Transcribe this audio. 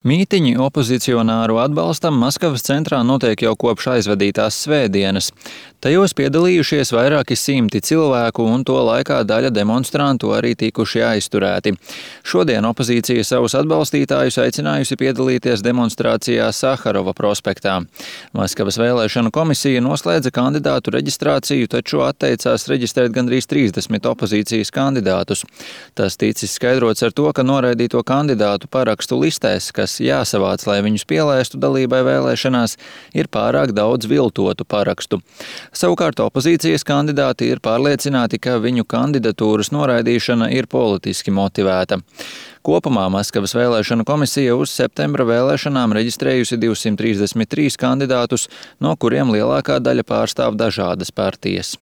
Mītiņi opozicionāru atbalstam Maskavas centrā notiek jau kopš aizvadītās svētdienas. Tajos piedalījušies vairāki simti cilvēku, un to laikā daļa demonstrantu arī tikuši aizturēti. Šodien opozīcija savus atbalstītājus aicinājusi piedalīties demonstrācijā Saharova prospektā. Maskavas vēlēšanu komisija noslēdza kandidātu reģistrāciju, taču atteicās reģistrēt gandrīz 30 opozīcijas kandidātus. Tas ticis skaidrots ar to, ka noraidīto kandidātu parakstu listēs, kas jāsavāc, lai viņus pielaistu dalībai vēlēšanās, ir pārāk daudz viltotu parakstu. Savukārt opozīcijas kandidāti ir pārliecināti, ka viņu kandidatūras noraidīšana ir politiski motivēta. Kopumā Maskavas vēlēšanu komisija uz septembra vēlēšanām reģistrējusi 233 kandidātus, no kuriem lielākā daļa pārstāv dažādas partijas.